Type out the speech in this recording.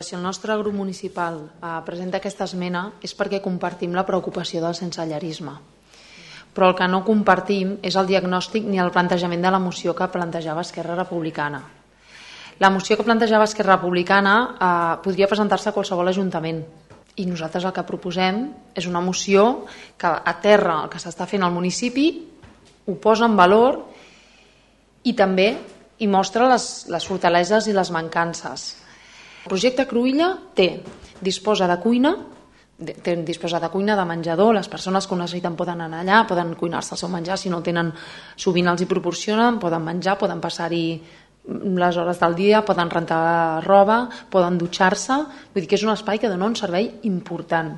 Si el nostre grup municipal presenta aquesta esmena és perquè compartim la preocupació del sensellarisme. Però el que no compartim és el diagnòstic ni el plantejament de la moció que plantejava Esquerra Republicana. La moció que plantejava Esquerra Republicana podria presentar-se a qualsevol ajuntament i nosaltres el que proposem és una moció que aterra el que s'està fent al municipi, ho posa en valor i també hi mostra les fortaleses i les mancances. El projecte Cruïlla disposa de cuina, de menjador, les persones que ho necessiten poden anar allà, poden cuinar-se el seu menjar, si no el tenen sovint els hi proporcionen, poden menjar, poden passar-hi les hores del dia, poden rentar roba, poden dutxar-se, vull dir que és un espai que dona un servei important.